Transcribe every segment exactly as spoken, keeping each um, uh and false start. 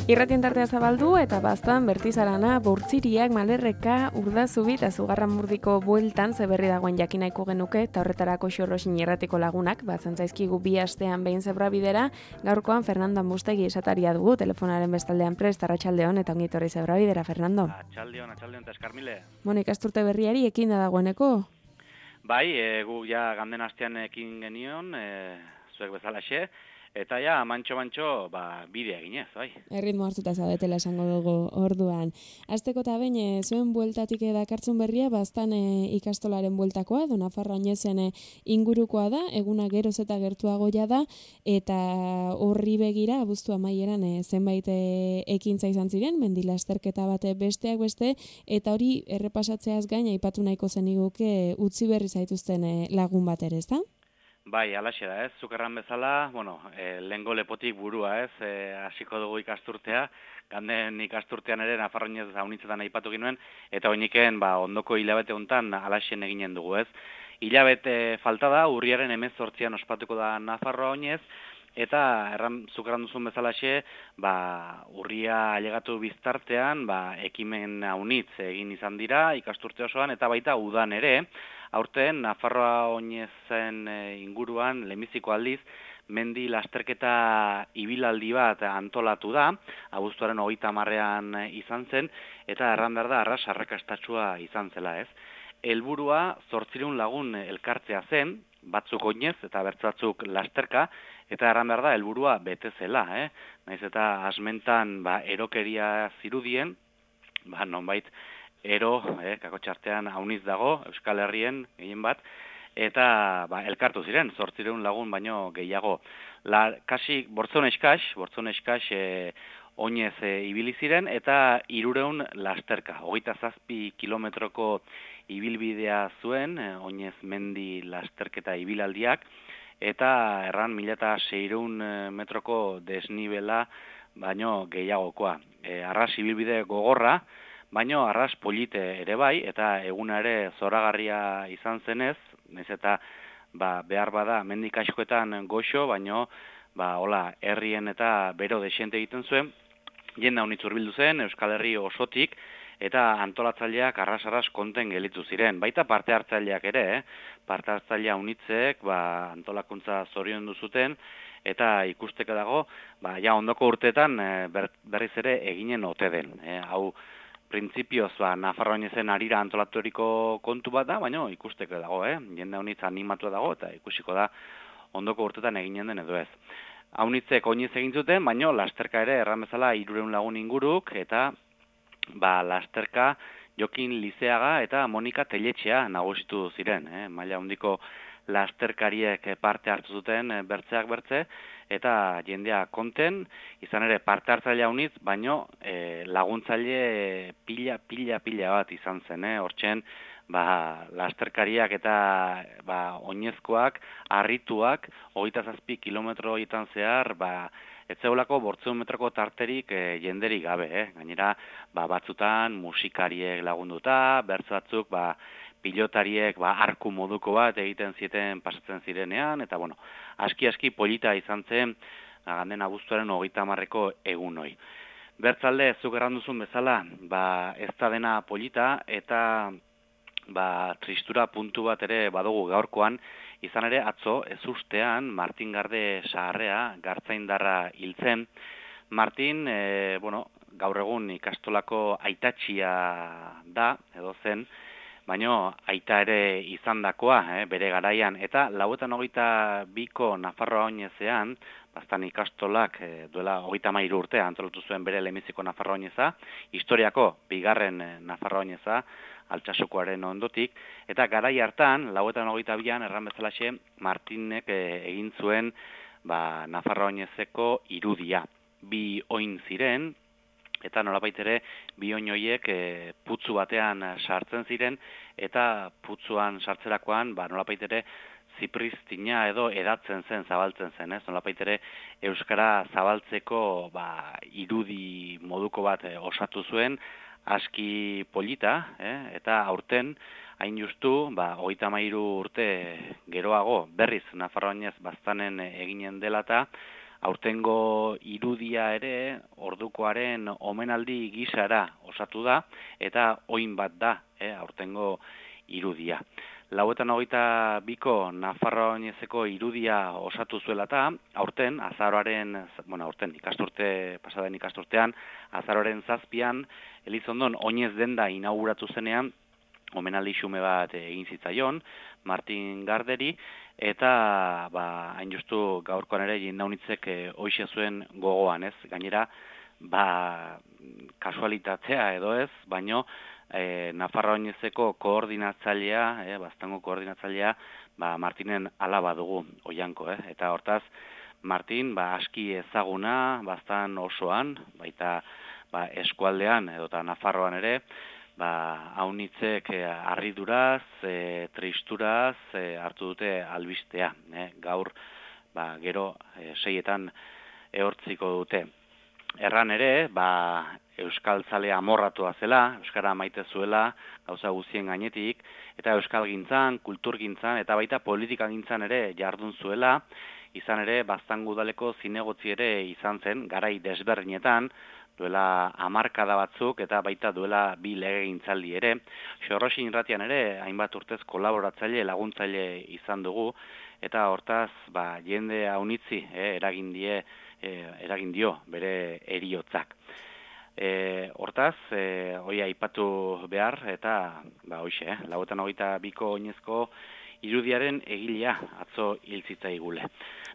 Irratien tartea zabaldu eta baztan Bertizarana, Bortziriak, Malerreka, Urdazubi eta Zugarramurdiko bueltan zeberri dagoen jakin nahiko genuke eta horretarako Xorroxin irratiko lagunak, batzen zaizkigu bi astean behin zebrabidera, gaurkoan Fernando Ambustegi esataria dugu, telefonaren bestaldean prest, arratsaldeon eta ongitorri zebrabidera, Fernando. Atxaldeon, atxaldeon eta eskarmile. Bueno, ikasturte berriari ekin da dagoeneko? Bai, e, gu ja ganden astean ekin genion, e, zuek bezalaxe, eta ja, mantxo-mantxo, ba, bidea eginez, bai. Erritmo hartuta zaudetela esango dugu orduan. Azteko eta behin, e, zuen bueltatik dakartzun berria, baztan e, ikastolaren bueltakoa, do Nafarroa Oñezen e, ingurukoa da, eguna geroz eta gertuagoia da, eta horri begira, abuztu amaieran e, zenbait e, ekintza izan ziren, mendila esterketa bate besteak beste, eta hori errepasatzeaz gain, aipatu nahiko zeniguke utzi berri zaituzten e, lagun bat ere, ezta? Bai, alaxe da, ez, zukerran bezala, bueno, e, lehengo lepotik burua, ez, e, hasiko dugu ikasturtea, ganden ikasturtean ere Nafarroinez haunitzetan aipatu ginuen, eta oiniken, ba, ondoko hilabete hontan alaxen eginen dugu, ez. Hilabete falta da, urriaren hemezortzian ospatuko da Nafarroa Oinez, eta erran, zukerran duzun bezalaxe, ba, urria ailegatu biztartean, ba, ekimen haunitz egin izan dira, ikasturte osoan, eta baita udan ere, aurten Nafarroa Oinezen inguruan lehenbiziko aldiz mendi lasterketa ibilaldi bat antolatu da, abuztuaren hogeita hamarrean izan zen, eta erran behar da arras arrakastatsua izan zela, ez. Helburua zortziehun lagun elkartzea zen, batzuk oinez eta bertzatzuk lasterka, eta erran behar da helburua bete zela, eh? Naiz eta asmentan ba, erokeria zirudien, ba, nonbait, ero, eh, kakotxartean hauniz dago, Euskal Herrien gehien bat, eta ba, elkartu ziren, zortziehun lagun baino gehiago. La, kasi, bortzon eskax, bortzon eskax e, oinez e, ibili ziren, eta hirureun lasterka. Hogeita zazpi kilometroko ibilbidea zuen, e, oinez mendi lasterketa ibilaldiak, eta erran mila eta seiehun metroko desnibela baino gehiagokoa. E, arras ibilbide gogorra, baino arras polite ere bai, eta eguna ere zoragarria izan zenez, naiz eta ba, behar bada mendik askoetan goxo, baino ba, hola, herrien eta bero desente egiten zuen, jende haunitz hurbildu zen, Euskal Herri osotik, eta antolatzaileak arras-arras konten gelitzu ziren. Baita parte hartzaileak ere, eh? parte hartzailea haunitzek ba, antolakuntza zorion duzuten, eta ikusteke dago, ba, ja ondoko urteetan ber, berriz ere eginen ote den. Eh? Hau, printzipioz, ba, Nafarroa Oinezen arira antolaturiko kontu bat da, baina ikusteko dago, eh? Jende haunitz animatu dago, eta ikusiko da ondoko urtetan eginen den edo ez. Haunitzek oinez egin zuten, baina lasterka ere erran bezala hirureun lagun inguruk, eta ba, lasterka Jokin Lizeaga eta Monika Teletxea nagusitu ziren, eh? Maila handiko lasterkariek parte hartu zuten bertzeak bertze, eta jendea konten, izan ere parte hartzailea haunitz, baino e, laguntzaile pila, pila, pila bat izan zen, eh? Hortzen, ba, lasterkariak eta ba, oinezkoak, harrituak, hogeita zazpi kilometro horietan zehar, ba, ez zeulako bortzeun metroko tarterik e, jenderik gabe, eh? Gainera, ba, batzutan musikariek lagunduta, bertz batzuk, ba, pilotariek ba, arku moduko bat egiten zieten pasatzen zirenean, eta bueno, aski-aski polita izan zen, ganden abuztuaren hogeita hamarreko egun hoi. Bertzalde, zuk erranduzun bezala, ba, ez da dena polita, eta ba, tristura puntu bat ere badugu gaurkoan, izan ere atzo, ez ustean, Martin Garde Saharrea, gartzaindarra hiltzen. Martin, e, bueno, gaur egun ikastolako aitatxia da, edo zen, baino aita ere izandakoa, eh, bere garaian, eta lauetan hogeita biko Nafarroa Oinezean, baztan ikastolak eh, duela hogeita hamairu urtea antolatu zuen bere lehenbiziko Nafarroa Oineza, historiako bigarren eh, Nafarroa Oineza, Altsasokoaren ondotik, eta garai hartan, lauetan hogeita bian, erran bezalaxe, Martinek eh, egin zuen ba, Nafarroa Oinezeko irudia. Bi oin ziren, eta nolabait ere bi oin horiek e, putzu batean sartzen ziren, eta putzuan sartzerakoan ba, nolabait ere zipristina edo edatzen zen, zabaltzen zen, ez? Nolabait ere euskara zabaltzeko ba, irudi moduko bat e, osatu zuen, aski polita, eh? Eta aurten, hain justu, ba, hogeita hamairu urte geroago, berriz Nafarroa Oinez baztanen eginen dela eta Aurtengo irudia ere ordukoaren omenaldi gisara osatu da, eta oin bat da, eh, aurtengo irudia. Lauetan hogeita biko Nafarroa oinezeko irudia osatu zuela eta aurten, azaroaren, bueno, aurten ikasturte, pasaden ikasturtean, azaroaren zazpian, Elizondon oinez denda inauguratu zenean, omenaldi xume bat egin zitzaion, Martin Garderi, eta ba, hain justu gaurkoan ere jendaunitzek e, hoxe zuen gogoan, ez? Gainera, ba, kasualitatea edo ez, baino, e, Nafarroa oinezeko koordinatzailea, e, baztango koordinatzailea, ba, Martinen alaba dugu, oianko, eh? Eta hortaz, Martin, ba, aski ezaguna, baztan osoan, baita ba, eskualdean, edota Nafarroan ere, ba, haunitzek eh, harriduraz, e, tristuraz e, hartu dute albistea. Eh? Gaur, ba, gero, e, seietan ehortziko dute. Erran ere, ba, Euskal Zalea amorratua zela, Euskara maite zuela, gauza guztien gainetik, eta Euskal gintzan, kultur gintzan, eta baita politika gintzan ere jardun zuela, izan ere, baztango udaleko zinegotzi ere izan zen, garai desberdinetan, duela hamarkada batzuk eta baita duela bi legegintzaldi ere. Xorroxin irratian ere, hainbat urtez kolaboratzaile, laguntzaile izan dugu, eta hortaz, ba, jende haunitzi, eh, eragin die, eh, eragin dio bere eriotzak. E, hortaz, e, hoi aipatu behar, eta, ba, hoxe, eh, lauetan hogeita biko oinezko irudiaren egilea atzo hiltzitzaigule.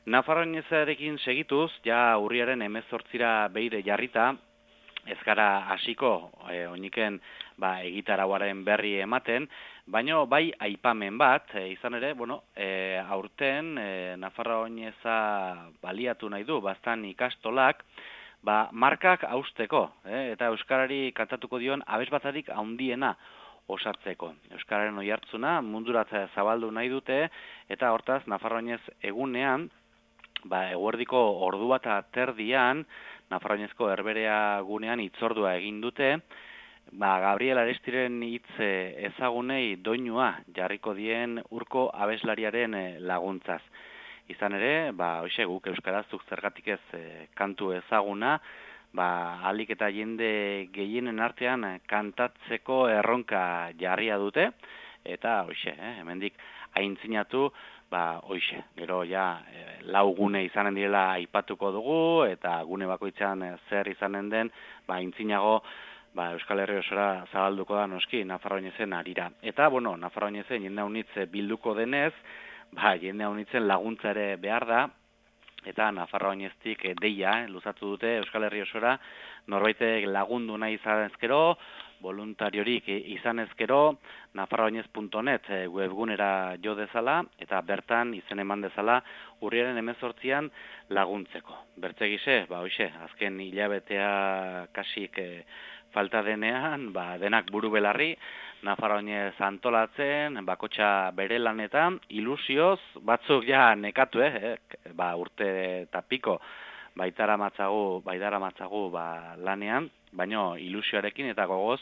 Nafarroa oinezarekin segituz, ja urriaren hemezortzira beire jarrita, ez gara hasiko e, oiniken ba, egitarauaren berri ematen, baino bai aipamen bat, e, izan ere, bueno, e, aurten e, Nafarroa oineza baliatu nahi du, baztan ikastolak, ba, markak hausteko, e, eta Euskarari kantatuko dion abesbatzarik handiena osatzeko. Euskararen oihartzuna munduratza zabaldu nahi dute, eta hortaz Nafarroa oinez egunean, ba, eguerdiko ordu bat terdian, Nafarroa oinezko herberea gunean hitzordua egin dute, ba, Gabriel Arestiren hitz ezagunei doinua jarriko dien urko abeslariaren laguntzaz. Izan ere, ba, hoxe guk euskarazuk zergatik ez e, kantu ezaguna, ba, alik eta jende gehienen artean kantatzeko erronka jarria dute, eta hoxe, eh, hemendik aintzinatu, ba, hoxe, gero ja e, lau gune izanen direla aipatuko dugu, eta gune bakoitzean e, zer izanen den, ba, aintzinago, ba, Euskal Herri osora zabalduko da noski Nafarroa oinezen arira. Eta, bueno, Nafarroa oinezen jende haunitz bilduko denez, ba, jende haunitzen laguntza ere behar da, eta Nafarroa oineztik deia, eh, luzatu dute Euskal Herri osora, norbaitek lagundu nahi izan ezkero, voluntariorik izan ezkero, nafarroainez puntu net webgunera jo dezala, eta bertan izen eman dezala urriaren hemezortzian laguntzeko. Bertzegize, ba, hoxe, azken hilabetea kasik e, falta denean, ba, denak buru belarri, Nafarroa oinez antolatzen, bakotxa bere lanetan, ilusioz, batzuk ja nekatu, eh, ba, urte eta piko, baitara matzagu, baitara matzagu ba, lanean, baino ilusioarekin eta gogoz,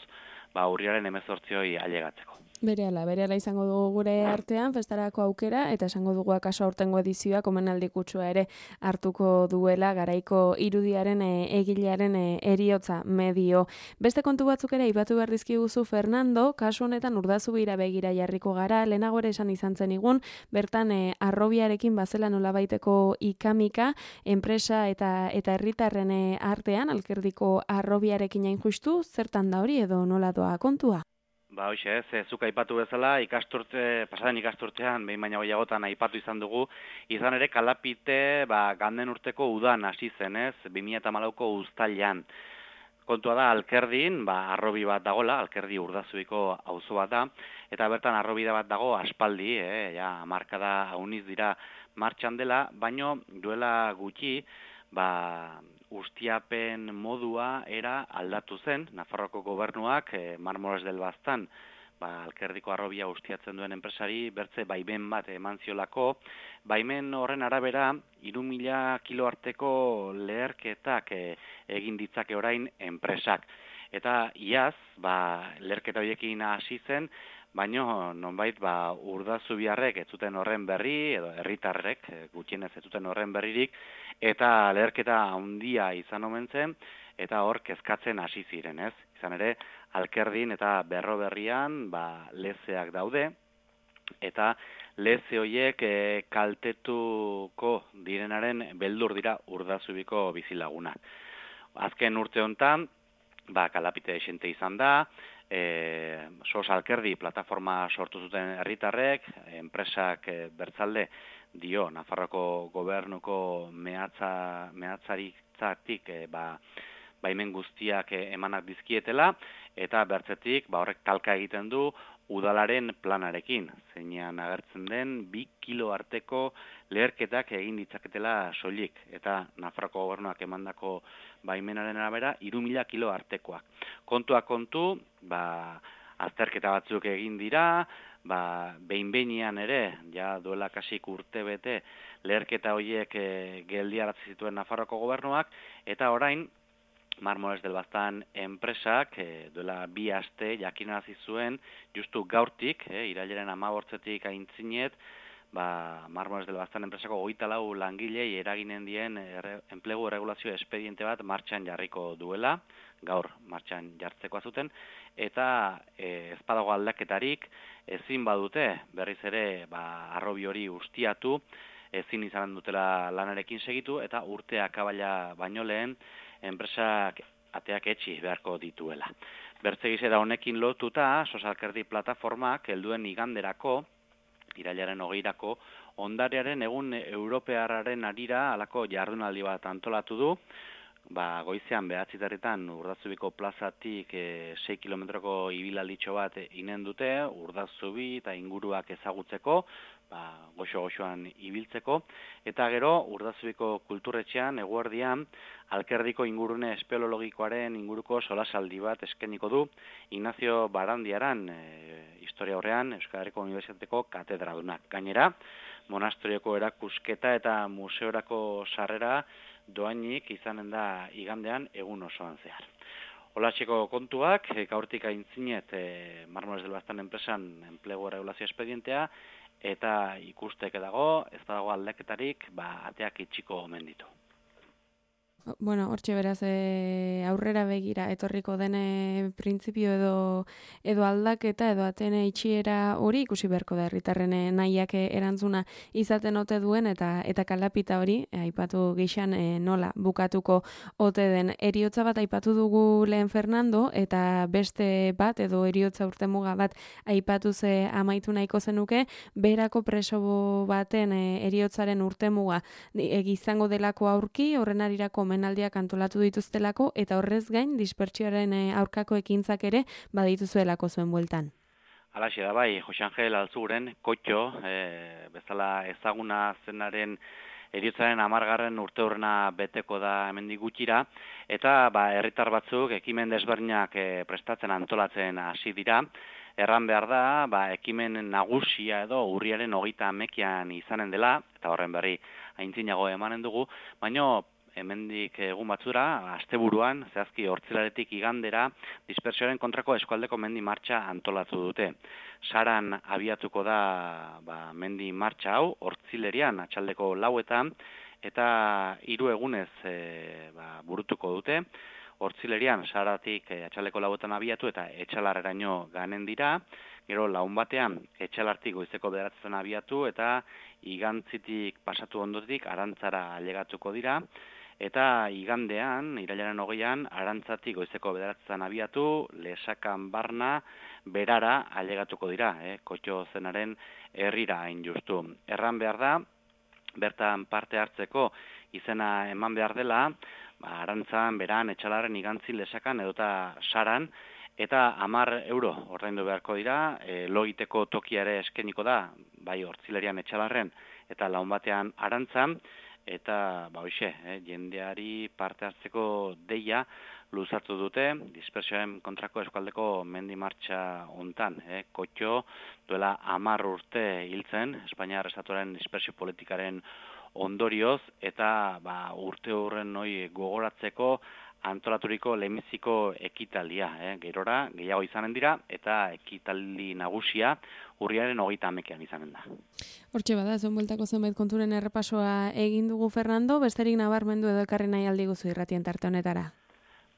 ba, urriaren hemezortzioi ailegatzeko. Berehala, berehala izango dugu gure artean, festarako aukera, eta esango dugu akaso aurtengo edizioak omenaldi kutsua ere hartuko duela garaiko irudiaren e, egilearen e, eriotza medio. Beste kontu batzuk ere aipatu behar dizkiguzu Fernando, kasu honetan Urdazubira begira jarriko gara, lehenago ere esan izan zen igun, bertan e, arrobiarekin bazela nolabaiteko ikamika, enpresa eta eta herritarren e, artean, alkerdiko arrobiarekin hain justu, zertan da hori edo nola doa kontua? Ba, hoxe, ez, zuk aipatu bezala, ikasturte, pasaden ikasturtean, behin baina gehiagotan aipatu izan dugu, izan ere kalapite, ba, ganden urteko udan hasi zen, ez, bi mila hamalauko uztailean. Kontua da, Alkerdin, ba, arrobi bat dagola, Alkerdi Urdazubiko auzo bat da, eta bertan arrobida bat dago aspaldi, eh, ja, markada hauniz dira martxan dela, baino duela gutxi, ba, ustiapen modua era aldatu zen, Nafarroako gobernuak, e, Marmores del Baztan, ba, Alkerdiko arrobia ustiatzen duen enpresari, bertze baimen bat eman ziolako, baimen horren arabera, hiru mila kilo arteko leherketak e, egin ditzake orain enpresak. Eta iaz, ba, leherketa horiekin hasi zen, baino nonbait ba Urdazubiarrek ez zuten horren berri edo herritarrek gutxienez ez zuten horren berririk eta leherketa handia izan omen zen eta hor kezkatzen hasi ziren, ez? Izan ere Alkerdin eta Berroberrian ba lezeak daude eta leze horiek e, kaltetuko direnaren beldur dira Urdazubiko bizilagunak. Azken urte hontan ba kalapite xente izan da, E, Sos Alkerdi plataforma sortu zuten herritarrek, enpresak e, bertzalde dio Nafarroko gobernuko mehatza mehatzaritzatik e, ba baimen guztiak e, emanak dizkietela eta bertzetik ba horrek talka egiten du udalaren planarekin, zeinean agertzen den bi kilo arteko leherketak egin ditzaketela soilik eta Nafarroko gobernuak emandako baimenaren arabera hiru mila kilo artekoak. Kontua kontu, ba azterketa batzuk egin dira, ba behin-behinean ere, ja duela kasik urte bete leherketa horiek e, geldiarazi zituen Nafarroko gobernuak eta orain Marmolez del Baztan enpresak e, duela bi aste jakinarazi zuen justu gaurtik, e, irailaren hamabortzetik aintzinet, ba Marmolez del Baztan enpresako hogeita lau langilei eraginen dien erre, enplegu erregulazio espediente bat martxan jarriko duela, gaur martxan jartzeko zuten eta e, ez badago aldaketarik ezin badute berriz ere ba harrobi hori ustiatu, ezin izan dutela lanarekin segitu eta urtea akabaila baino lehen enpresak ateak etxi beharko dituela. Bertzegize da honekin lotuta, Sos Alkerdi plataformak helduen iganderako, irailaren hogeirako, ondarearen egun europearraren arira alako jardunaldi bat antolatu du, ba goizean behatziterritan Urdazubiko plazatik e, sei kilometroko ibilalditxo bat inen dute, Urdazubi eta inguruak ezagutzeko, ba goxo-goxoan ibiltzeko, eta gero Urdazubiko kulturretxean eguerdian Alkerdiko ingurune espeleologikoaren inguruko solasaldi bat eskeniko du Ignacio Barandiaran, e, historia horrean Euskal Herriko Unibertsitateko katedradunak. Gainera, monasterioko erakusketa eta museorako sarrera doainik izanen da igandean egun osoan zehar. Holatxeko kontuak, e, gaurtik aintzinet e, Marmolez del Baztan enpresan enplegu erregulazio espedientea eta ikusteke dago, ez dago aldaketarik, ba ateak itxiko omen ditu. Bueno, hortxe beraz e, aurrera begira etorriko dene printzipio edo edo aldaketa edo atene itxiera hori ikusi beharko da herritarren nahiak erantzuna izaten ote duen eta eta kalapita hori e, aipatu gixan e, nola bukatuko ote den. Heriotza bat aipatu dugu lehen Fernando eta beste bat edo heriotza urtemuga bat aipatu ze amaitu nahiko zenuke, berako preso baten e, heriotzaren urtemuga e, izango delako aurki, horren arirako omenaldiak antolatu dituztelako eta horrez gain dispertsioaren aurkako ekintzak ere badituzuelako zuen bueltan. Halaxe da bai, Jose Angel Altzuren kotxo, e, bezala ezaguna zenaren heriotzaren hamargarren urteurrena beteko da hemendik gutxira eta ba herritar batzuk ekimen desberdinak e, prestatzen antolatzen hasi dira. Erran behar da, ba, ekimen nagusia edo urriaren hogeita hamekian izanen dela, eta horren berri aintzinago emanen dugu, baino hemendik egun batzura, asteburuan, zehazki hortzilaretik igandera, dispersioaren kontrako eskualdeko mendi martxa antolatu dute. Saran abiatuko da ba, mendi martxa hau, hortzilerian, atxaldeko lauetan, eta hiru egunez e, ba, burutuko dute. Hortzilerian, saratik e, atxaldeko lauetan abiatu eta etxalarreraino ganen dira, gero laun batean etxalartik goizeko bederatzen abiatu eta igantzitik pasatu ondotik arantzara ailegatuko dira, eta igandean, irailaren hogeian, arantzatik goizeko bederatzen abiatu, lesakan barna, berara ailegatuko dira, eh, kotxo zenaren herrira hain justu. Erran behar da, bertan parte hartzeko izena eman behar dela, ba, arantzan, beran, etxalaren, igantzi, lesakan edota saran, eta hamar euro ordaindu beharko dira, e, logiteko tokiare eskeniko da, bai hortzilerian etxalarren, eta laun batean arantzan, eta ba hoixe, eh, jendeari parte hartzeko deia luzatu dute dispersioaren kontrako eskualdeko mendi martxa hontan, eh, kotxo duela hamar urte hiltzen Espainiar estatuaren dispersio politikaren ondorioz eta ba urte horren hori gogoratzeko antolaturiko lehenbiziko ekitaldia, eh? Gerora gehiago izanen dira, eta ekitaldi nagusia urriaren hogeita hamekean izanen da. Hortxe bada, zuen bueltako zenbait konturen errepasoa egin dugu Fernando, besterik nabarmendu edo ekarri nahi aldi guzu irratien tarte honetara.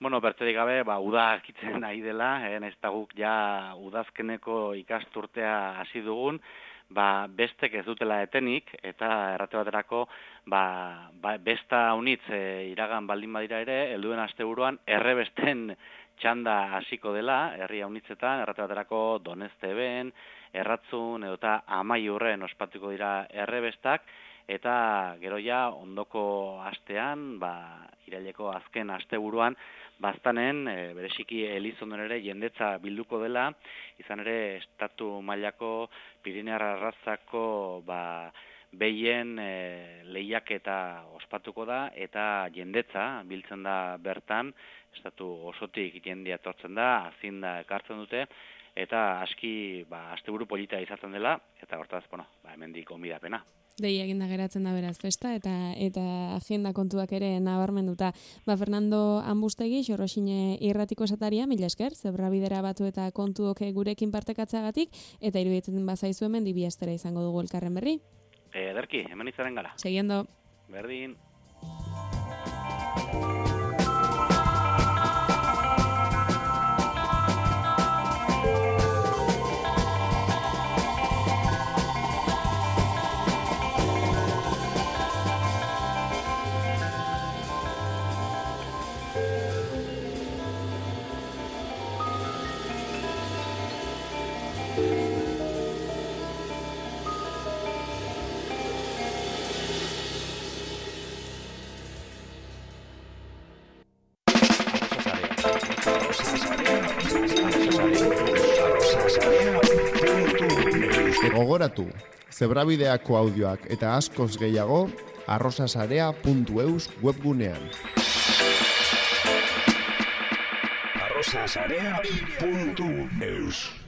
Bueno, berterik gabe, ba, uda akitzen nahi dela, eh, ez da guk ja udazkeneko ikasturtea hasi dugun, ba, bestek ez dutela etenik, eta errate baterako, ba, ba, besta unitz e, iragan baldin badira ere, helduen asteburuan errebesten txanda hasiko dela, herria unitzetan, errate baterako Donezteben, Erratzun, edota Amaiurren ospatuko dira errebestak, eta gero ja ondoko astean, ba, iraileko azken asteburuan, baztanen, e, bereziki Elizonden ere jendetza bilduko dela, izan ere estatu mailako Pirinear arrazako ba, behien e, lehiaketa ospatuko da, eta jendetza biltzen da bertan, estatu osotik jendia etortzen da, azinda ekartzen dute, eta aski ba, asteburu polita izaten dela, eta hortaz, bueno, ba, hemendik onbidapena. Dei eginda geratzen da beraz festa eta eta agenda kontuak ere nabarmenduta. Ba Fernando Ambustegi, Xorroxine irratiko esataria, mila esker, zebrabidera batu eta kontuok gurekin partekatzeagatik, eta iruditzen bazaizu hemen dibiestera izango dugu elkarren berri. Ederki, hemen izaren gara. Seguiendo. Berdin. Gogoratu, zebrabideako audioak eta askoz gehiago arrosasarea puntu eus webgunean. arrosasarea puntu eus